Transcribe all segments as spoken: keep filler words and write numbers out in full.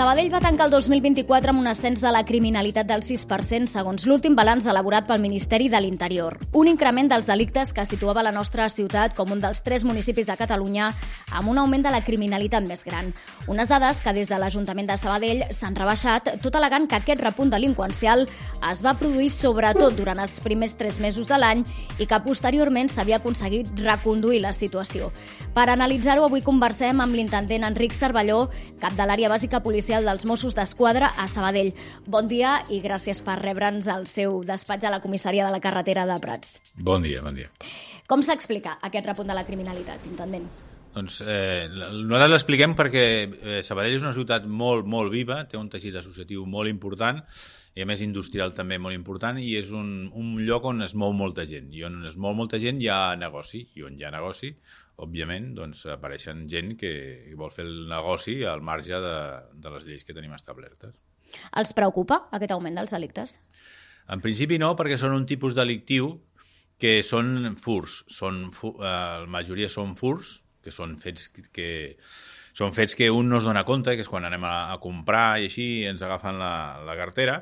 Sabadell va tancar el dos mil vint-i-quatre amb un ascens de la criminalitat del sis per cent, segons l'últim balanç elaborat pel Ministeri de l'Interior. Un increment dels delictes que situava la nostra ciutat com un dels tres municipis de Catalunya amb un augment de la criminalitat més gran. Unes dades que des de l'Ajuntament de Sabadell s'han rebaixat, tot al·legant que aquest repunt delinqüencial es va produir sobretot durant els primers tres mesos de l'any i que posteriorment s'havia aconseguit reconduir la situació. Per analitzar-ho, avui conversem amb l'intendent Enric Cervelló, cap de l'àrea bàsica policial dels Mossos d'Esquadra a Sabadell. Bon dia i gràcies per rebre'ns al seu despatx a la comissaria de la carretera de Prats. Bon dia, bon dia. Com s'explica aquest repunt de la criminalitat, intendent? Doncs eh, nosaltres l'expliquem perquè eh, Sabadell és una ciutat molt, molt viva, té un teixit associatiu molt important i a més industrial també molt important i és un, un lloc on es mou molta gent i on es mou molta gent hi ha negoci i on hi ha negoci, òbviament, doncs apareixen gent que vol fer el negoci al marge de, de les lleis que tenim establertes. Els preocupa aquest augment dels delictes? En principi no, perquè són un tipus delictiu que són furs, són, eh, la majoria són furs, que són fets que són fets que un no es dona compte, que és quan anem a, a comprar i així ens agafen la, la cartera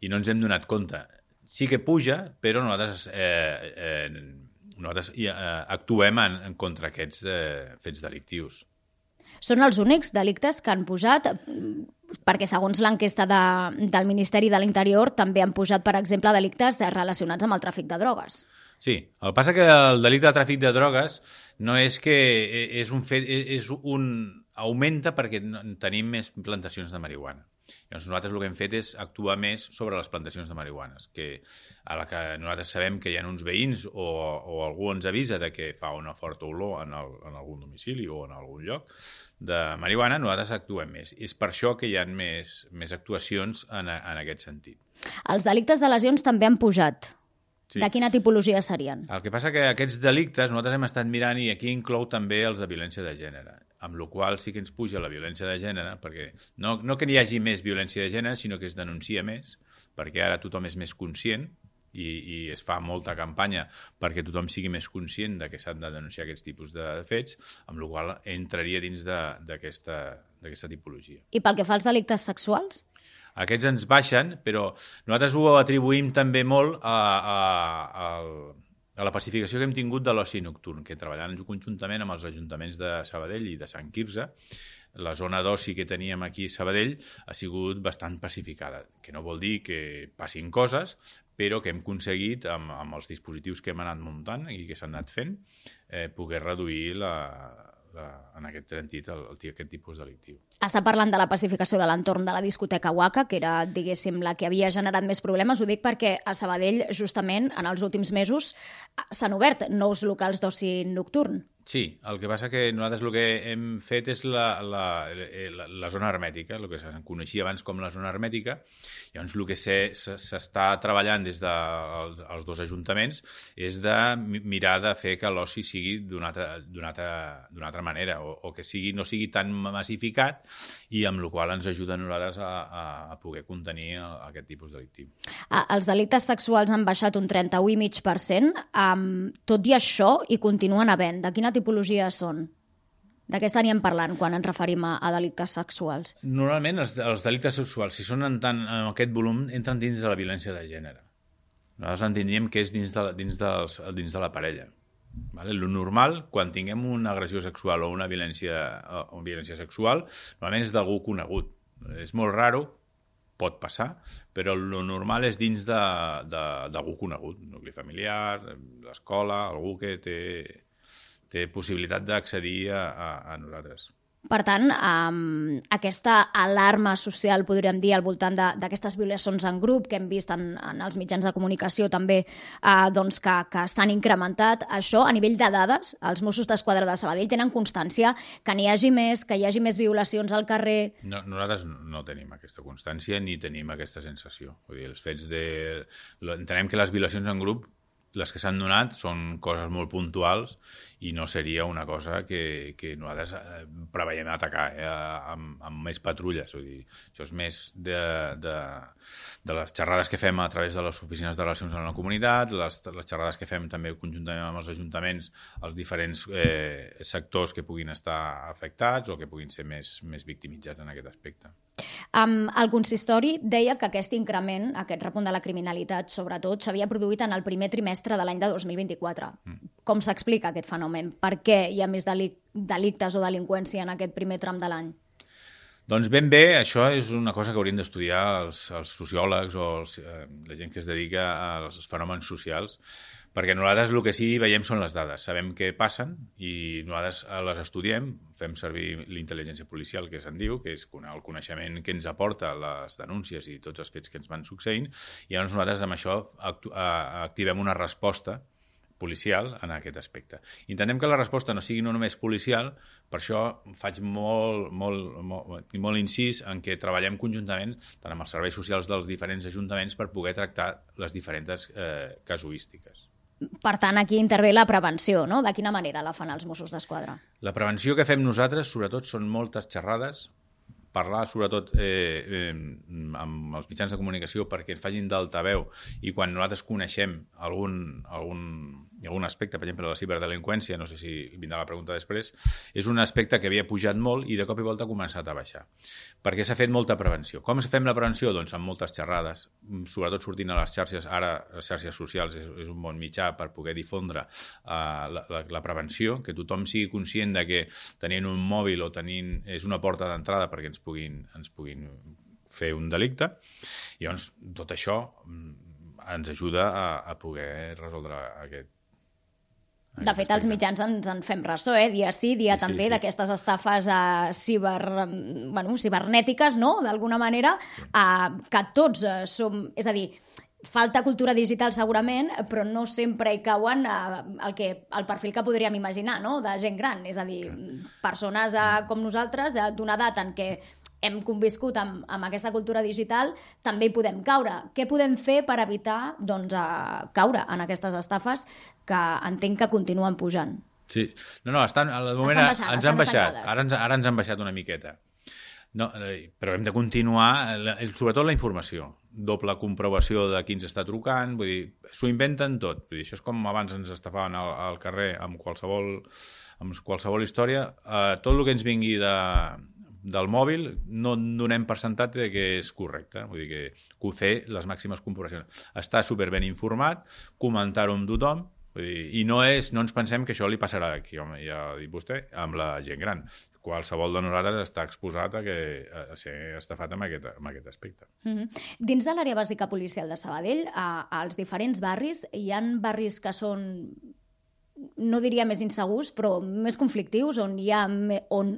i no ens hem donat compte. Sí que puja, però nosaltres, eh, eh, nosaltres eh, actuem en, en contra aquests eh, fets delictius. Són els únics delictes que han pujat, perquè segons l'enquesta de, del Ministeri de l'Interior també han pujat, per exemple, delictes relacionats amb el tràfic de drogues. Sí, el que passa que el delicte de tràfic de drogues no és que és un fet, és un augmenta perquè tenim més plantacions de marihuana. Llavors nosaltres el que hem fet és actuar més sobre les plantacions de marihuanes, que a la que nosaltres sabem que hi ha uns veïns o, o algú ens avisa de que fa una forta olor en, el, en algun domicili o en algun lloc de marihuana, nosaltres actuem més. És per això que hi ha més, més actuacions en, en aquest sentit. Els delictes de lesions també han pujat. Sí. De quina tipologia serien? El que passa que aquests delictes nosaltres hem estat mirant i aquí inclou també els de violència de gènere, amb la qual sí que ens puja la violència de gènere, perquè no, no que n'hi hagi més violència de gènere, sinó que es denuncia més, perquè ara tothom és més conscient i, i es fa molta campanya perquè tothom sigui més conscient de que s'han de denunciar aquests tipus de fets, amb la qual entraria dins d'aquesta d'aquesta tipologia. I pel que fa als delictes sexuals? Aquests ens baixen, però nosaltres ho atribuïm també molt a, a, a, a la pacificació que hem tingut de l'oci nocturn, que treballant conjuntament amb els ajuntaments de Sabadell i de Sant Quirze, la zona d'oci que teníem aquí a Sabadell ha sigut bastant pacificada, que no vol dir que passin coses, però que hem aconseguit, amb, amb els dispositius que hem anat muntant i que s'han anat fent, eh, poder reduir la, la, en aquest sentit el, el, aquest tipus delictiu. Està parlant de la pacificació de l'entorn de la discoteca Waka, que era, diguéssim, la que havia generat més problemes. Ho dic perquè a Sabadell, justament, en els últims mesos, s'han obert nous locals d'oci nocturn. Sí, el que passa que nosaltres el que hem fet és la, la, la, la zona hermètica, el que se'n coneixia abans com la zona hermètica. Llavors, el que s'està treballant des dels de dos ajuntaments és de mirar de fer que l'oci sigui d'una altra, d'una altra, d'una altra manera, o, o que sigui, no sigui tan massificat i amb la qual ens ajuda a nosaltres a, a, a poder contenir aquest tipus delictiu. Ah, els delictes sexuals han baixat un trenta-u coma cinc per cent. Um, tot i això, hi continuen havent. De quina tipologia són? De què estaríem parlant quan ens referim a, a delictes sexuals? Normalment els, els delictes sexuals, si són en, tant, en aquest volum, entren dins de la violència de gènere. Nosaltres entendríem que és dins de, dins dels, dins de la parella. Vale? Lo normal, quan tinguem una agressió sexual o una violència, o una violència sexual, normalment és d'algú conegut. És molt raro, pot passar, però el normal és dins d'algú conegut, nucli familiar, l'escola, algú que té... té possibilitat d'accedir a, a, a nosaltres. Per tant, um, aquesta alarma social, podríem dir, al voltant d'aquestes violacions en grup que hem vist en, en els mitjans de comunicació també, uh, doncs que, que s'han incrementat, això a nivell de dades, els Mossos d'Esquadra de Sabadell tenen constància que n'hi hagi més, que hi hagi més violacions al carrer? No, nosaltres no tenim aquesta constància ni tenim aquesta sensació. Vull dir, els fets de... Entenem que les violacions en grup, les que s'han donat són coses molt puntuals i no seria una cosa que, que nosaltres preveiem atacar eh, amb, amb més patrulles. Vull dir, això és més de, de, de les xerrades que fem a través de les oficines de relacions amb la comunitat, les, les xerrades que fem també conjuntament amb els ajuntaments, els diferents eh, sectors que puguin estar afectats o que puguin ser més, més victimitzats en aquest aspecte. Um, el consistori deia que aquest increment, aquest repunt de la criminalitat, sobretot, s'havia produït en el primer trimestre de l'any de dos mil vint-i-quatre. Mm. Com s'explica aquest fenomen? Per què hi ha més delic delictes o delinqüència en aquest primer tram de l'any? Doncs ben bé, això és una cosa que haurien d'estudiar els, els sociòlegs o els, eh, la gent que es dedica als fenòmens socials, perquè nosaltres el que sí veiem són les dades. Sabem què passen i nosaltres les estudiem, fem servir l'intel·ligència policial, que se'n diu, que és el coneixement que ens aporta les denúncies i tots els fets que ens van succeint, i llavors nosaltres amb això activem una resposta policial en aquest aspecte. Intentem que la resposta no sigui no només policial, per això faig molt, molt, molt, molt incís en què treballem conjuntament tant amb els serveis socials dels diferents ajuntaments per poder tractar les diferents eh, casuístiques. Per tant, aquí intervé la prevenció, no? De quina manera la fan els Mossos d'Esquadra? La prevenció que fem nosaltres, sobretot, són moltes xerrades, parlar sobretot eh, eh, amb els mitjans de comunicació perquè ens facin d'altaveu i quan nosaltres coneixem algun, algun, algun aspecte, per exemple, de la ciberdelinqüència, no sé si vindrà la pregunta després, és un aspecte que havia pujat molt i de cop i volta ha començat a baixar. Perquè s'ha fet molta prevenció. Com fem la prevenció? Doncs amb moltes xerrades, sobretot sortint a les xarxes, ara les xarxes socials és, és un bon mitjà per poder difondre uh, la, la, la prevenció, que tothom sigui conscient de que tenint un mòbil o tenint és una porta d'entrada perquè ens puguin, ens puguin fer un delicte. I llavors tot això ens ajuda a, a poder resoldre aquest. De fet, els mitjans ens en fem ressò, eh? dia sí, dia sí, també, sí, sí. d'aquestes estafes uh, ciber, bueno, cibernètiques, no?, d'alguna manera, sí. uh, que tots uh, som... És a dir, falta cultura digital segurament, però no sempre hi cauen uh, el, que, el perfil que podríem imaginar, no?, de gent gran. És a dir, persones uh, com nosaltres, uh, d'una edat en què hem conviscut amb, amb aquesta cultura digital, també hi podem caure. Què podem fer per evitar doncs, uh, caure en aquestes estafes que entenc que continuen pujant? Sí, no, no, estan, al moment estan baixant, ens han baixat, ara ens, ara ens han baixat una miqueta. No, eh, però hem de continuar, sobretot la informació, doble comprovació de qui ens està trucant, vull dir, s'ho inventen tot. Vull dir, això és com abans ens estafaven al, al carrer amb qualsevol, amb qualsevol història. Eh, tot el que ens vingui de... del mòbil no donem percentatge de que és correcte, vull dir que, que fer les màximes comprovacions. Estar superben informat, comentar-ho amb tothom, vull dir, i no, és, no ens pensem que això li passarà aquí, home, ja ha dit vostè, amb la gent gran. Qualsevol de nosaltres està exposat a, que, a ser estafat amb aquest, amb aquest aspecte. Mm-hmm. Dins de l'àrea bàsica policial de Sabadell, a, als diferents barris, hi ha barris que són, no diria més insegurs, però més conflictius, on hi ha, on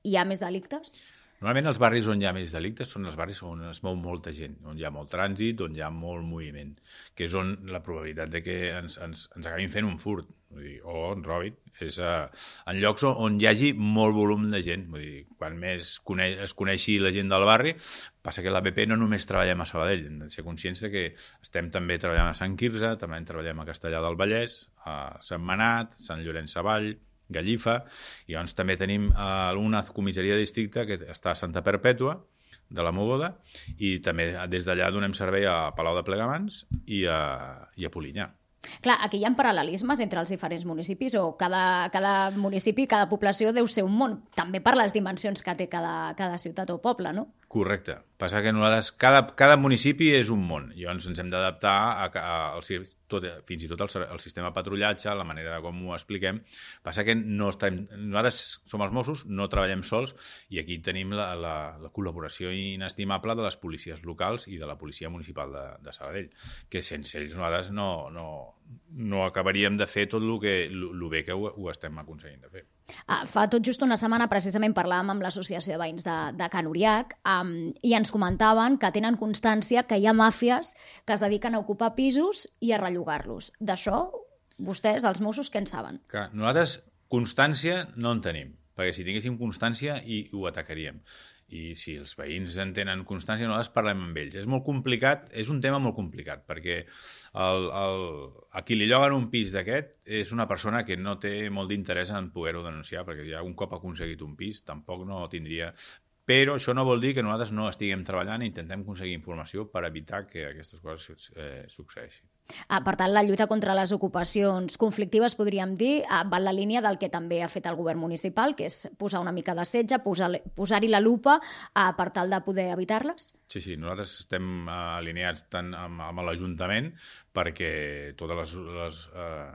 hi ha més delictes? Normalment els barris on hi ha més delictes són els barris on es mou molta gent, on hi ha molt trànsit, on hi ha molt moviment, que és on la probabilitat de que ens, ens, ens acabin fent un furt, vull dir, o en robin, és uh, en llocs on, on hi hagi molt volum de gent. Vull dir, quan més cone es coneixi la gent del barri, passa que l'A B P no només treballem a Sabadell, hem de ser conscients de que estem també treballant a Sant Quirze, també treballem a Castellar del Vallès, a Sentmenat, Sant Llorenç Savall, Gallifa, i llavors també tenim uh, una comissaria de districte que està a Santa Perpètua, de la Mogoda, i també des d'allà donem servei a Palau de Plegamans i a, i a Polinyà. Clar, aquí hi ha paral·lelismes entre els diferents municipis o cada, cada municipi, cada població deu ser un món, també per les dimensions que té cada, cada ciutat o poble, no? Correcte. Passa que nosaltres, cada, cada municipi és un món, i llavors ens hem d'adaptar a, a, a, tot, fins i tot al, al sistema de patrullatge, la manera com ho expliquem. Passa que no estem, nosaltres som els Mossos, no treballem sols, i aquí tenim la, la, la col·laboració inestimable de les policies locals i de la policia municipal de, de Sabadell, que sense ells nosaltres no, no, no acabaríem de fer tot el que, el bé que ho, ho estem aconseguint de fer. Ah, fa tot just una setmana precisament parlàvem amb l'Associació de Veïns de, de Can Uriac um, i ens comentaven que tenen constància que hi ha màfies que es dediquen a ocupar pisos i a rellogar-los. D'això, vostès, els Mossos, què en saben? Que nosaltres constància no en tenim, perquè si tinguéssim constància hi, ho atacaríem. I si els veïns en tenen constància, nosaltres parlem amb ells. És molt complicat, és un tema molt complicat, perquè el, el, a qui li lloguen un pis d'aquest és una persona que no té molt d'interès en poder-ho denunciar, perquè ja un cop ha aconseguit un pis tampoc no tindria... Però això no vol dir que nosaltres no estiguem treballant i intentem aconseguir informació per evitar que aquestes coses eh, succeeixin. Ah, per tant, la lluita contra les ocupacions conflictives, podríem dir, ah, va en la línia del que també ha fet el govern municipal, que és posar una mica de setge, posar- posar-hi la lupa ah, per tal de poder evitar-les? Sí, sí, nosaltres estem eh, alineats tant amb, amb l'Ajuntament perquè totes les, les, eh,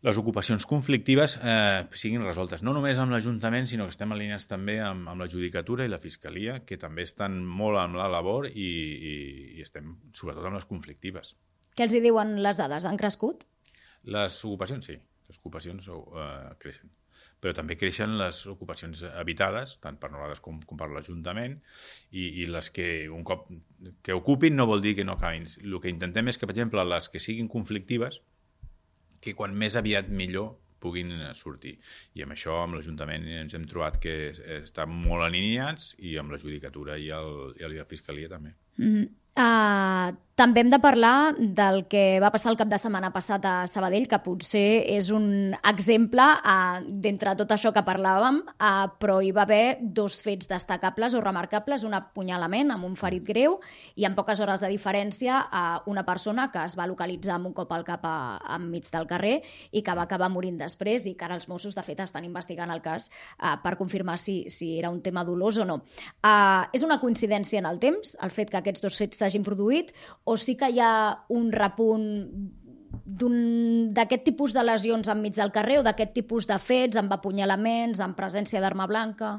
les ocupacions conflictives eh, siguin resoltes. No només amb l'Ajuntament, sinó que estem alineats també amb, amb la Judicatura i la Fiscalia, que també estan molt amb la labor i, i, i estem sobretot amb les conflictives. Què els hi diuen les dades? Han crescut? Les ocupacions, sí. Les ocupacions uh, creixen. Però també creixen les ocupacions habitades, tant per nosaltres com, com per l'Ajuntament, i, i les que un cop que ocupin no vol dir que no acabin. El que intentem és que, per exemple, les que siguin conflictives, que quan més aviat millor puguin sortir. I amb això, amb l'Ajuntament, ens hem trobat que estan molt alineats i amb la Judicatura i, el, i la Fiscalia també. Mm-hmm. Uh, també hem de parlar del que va passar el cap de setmana passat a Sabadell, que potser és un exemple uh, d'entre tot això que parlàvem, uh, però hi va haver dos fets destacables o remarcables, un apunyalament amb un ferit greu i en poques hores de diferència uh, una persona que es va localitzar amb un cop al cap a, enmig del carrer i que va acabar morint després i que ara els Mossos, de fet, estan investigant el cas uh, per confirmar si, si era un tema dolós o no. Uh, és una coincidència en el temps, el fet que aquests dos fets s'hagin produït, o sí que hi ha un repunt d'aquest tipus de lesions enmig del carrer o d'aquest tipus de fets amb apunyalaments, amb presència d'arma blanca?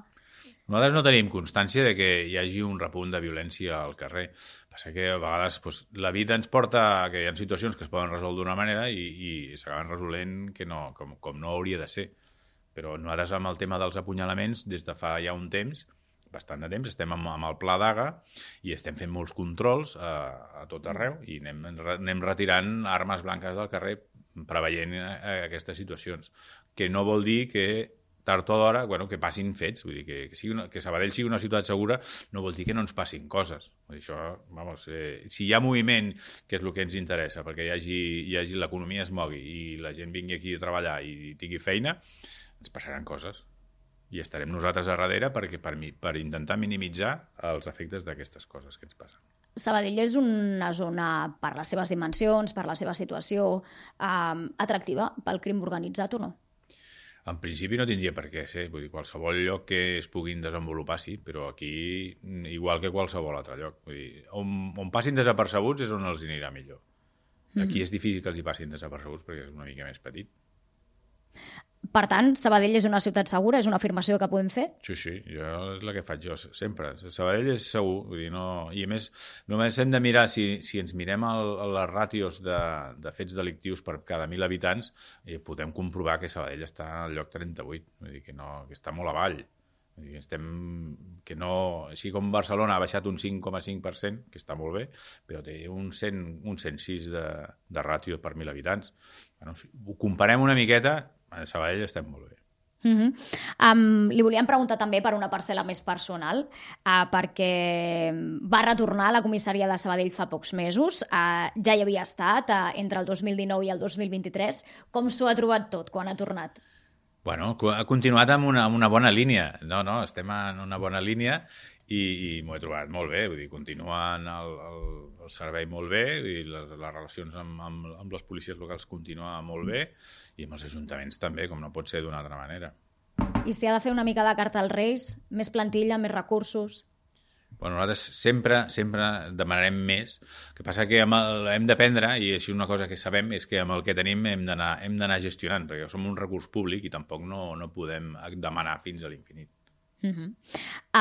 Nosaltres no tenim constància de que hi hagi un repunt de violència al carrer. Passa que a vegades doncs, la vida ens porta a que hi ha situacions que es poden resoldre d'una manera i, i s'acaben resolent que no, com, com no hauria de ser. Però nosaltres amb el tema dels apunyalaments, des de fa ja un temps, bastant de temps, estem amb, amb el pla d'A G A i estem fent molts controls a, a tot arreu i anem, anem retirant armes blanques del carrer preveient eh, aquestes situacions. Que no vol dir que tard o d'hora, bueno, que passin fets, vull dir, que, que, sigui una, que Sabadell sigui una ciutat segura no vol dir que no ens passin coses. Vull dir, això, vamos, eh, si hi ha moviment, que és el que ens interessa, perquè hi hagi, hi hagi l'economia es mogui i la gent vingui aquí a treballar i tingui feina, ens passaran coses. I estarem nosaltres a darrere perquè, per, per intentar minimitzar els efectes d'aquestes coses que ens passen. Sabadell és una zona, per les seves dimensions, per la seva situació, eh, atractiva pel crim organitzat o no? En principi no tindria per què ser. Vull dir, qualsevol lloc que es puguin desenvolupar, sí, però aquí, igual que qualsevol altre lloc. Vull dir, on, on passin desapercebuts és on els anirà millor. Aquí mm-hmm. és difícil que els hi passin desapercebuts perquè és una mica més petit. Per tant, Sabadell és una ciutat segura? És una afirmació que podem fer? Sí, sí, jo, és la que faig jo sempre. Sabadell és segur, vull dir, no... i a més, només hem de mirar, si, si ens mirem el, les ràtios de, de fets delictius per cada mil habitants, eh, podem comprovar que Sabadell està al lloc trenta-vuit, vull dir, que, no, que està molt avall. Vull dir, estem, que no, així com Barcelona ha baixat un cinc coma cinc per cent, que està molt bé, però té un, cent, un cent sis de, de ràtio per mil habitants. Bueno, si ho comparem una miqueta, a Sabadell estem molt bé. Uh-huh. Um, li volíem preguntar també per una parcel·la més personal, uh, perquè va retornar a la comissaria de Sabadell fa pocs mesos, uh, ja hi havia estat uh, entre el dos mil dinou i el dos mil vint-i-tres. Com s'ho ha trobat tot quan ha tornat? Bueno, ha continuat amb una, amb una bona línia. No, no, estem en una bona línia i, i m'ho he trobat molt bé. Vull dir, continua el, el, el servei molt bé i les, les relacions amb, amb, amb les policies locals continua molt bé i amb els ajuntaments també, com no pot ser d'una altra manera. I si ha de fer una mica de carta als Reis? Més plantilla, més recursos? Bueno, nosaltres sempre, sempre demanarem més. El que passa que amb el, hem d'aprendre, i així una cosa que sabem, és que amb el que tenim hem d'anar hem d'anar gestionant, perquè som un recurs públic i tampoc no, no podem demanar fins a l'infinit. Uh-huh.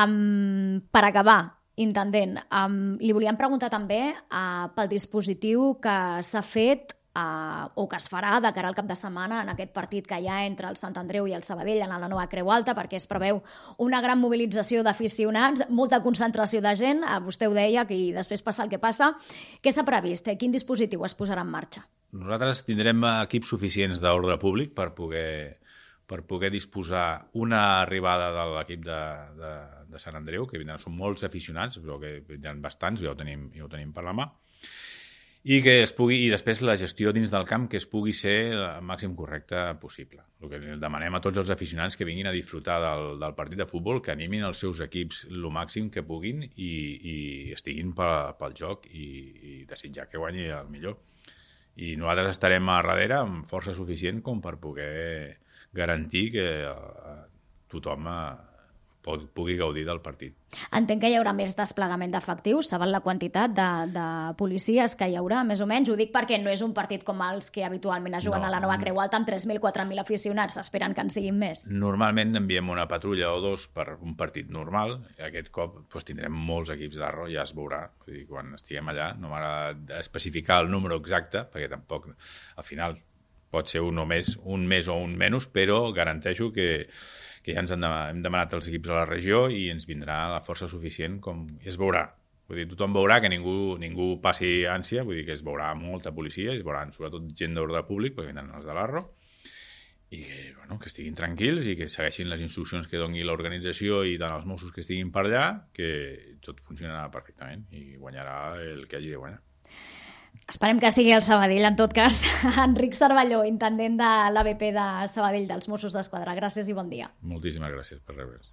Um, per acabar, intendent, um, li volíem preguntar també uh, pel dispositiu que s'ha fet Uh, o que es farà de cara al cap de setmana en aquest partit que hi ha entre el Sant Andreu i el Sabadell en la nova Creu Alta, perquè es preveu una gran mobilització d'aficionats, molta concentració de gent, uh, vostè ho deia, que després passa el que passa. Què s'ha previst? Quin dispositiu es posarà en marxa? Nosaltres tindrem equips suficients d'ordre públic per poder, per poder disposar una arribada de l'equip de, de, de Sant Andreu, que vindran, són molts aficionats, però que vindran bastants, ja ho tenim, ja ho tenim per la mà, i que es pugui, i després la gestió dins del camp que es pugui ser el màxim correcte possible. El que demanem a tots els aficionats que vinguin a disfrutar del, del partit de futbol, que animin els seus equips el màxim que puguin i, i estiguin pel, pel joc i, i desitjar que guanyi el millor. I nosaltres estarem a darrere amb força suficient com per poder garantir que tothom pugui gaudir del partit. Entenc que hi haurà més desplegament d'efectius, saben la quantitat de, de policies que hi haurà, més o menys. Ho dic perquè no és un partit com els que habitualment es juguen no, a la Nova Creu Alta amb tres mil, quatre mil aficionats, esperen que en siguin més. Normalment enviem una patrulla o dos per un partit normal, i aquest cop doncs, tindrem molts equips d'Arro, ja es veurà. Vull dir, quan estiguem allà no m'agrada especificar el número exacte, perquè tampoc, al final, pot ser un o més, un més o un menys, però garanteixo que que ja ens hem demanat els equips a la regió i ens vindrà la força suficient com es veurà. Vull dir, tothom veurà que ningú, ningú passi ànsia, vull dir que es veurà molta policia, es veuran sobretot gent d'ordre públic, perquè vindran els de l'Arro, i que, bueno, que estiguin tranquils i que segueixin les instruccions que doni l'organització i tant els Mossos que estiguin per allà, que tot funcionarà perfectament i guanyarà el que hagi de guanyar. Esperem que sigui el Sabadell, en tot cas. Enric Cervelló, intendent de l'A B P de Sabadell dels Mossos d'Esquadra. Gràcies i bon dia. Moltíssimes gràcies per rebre's.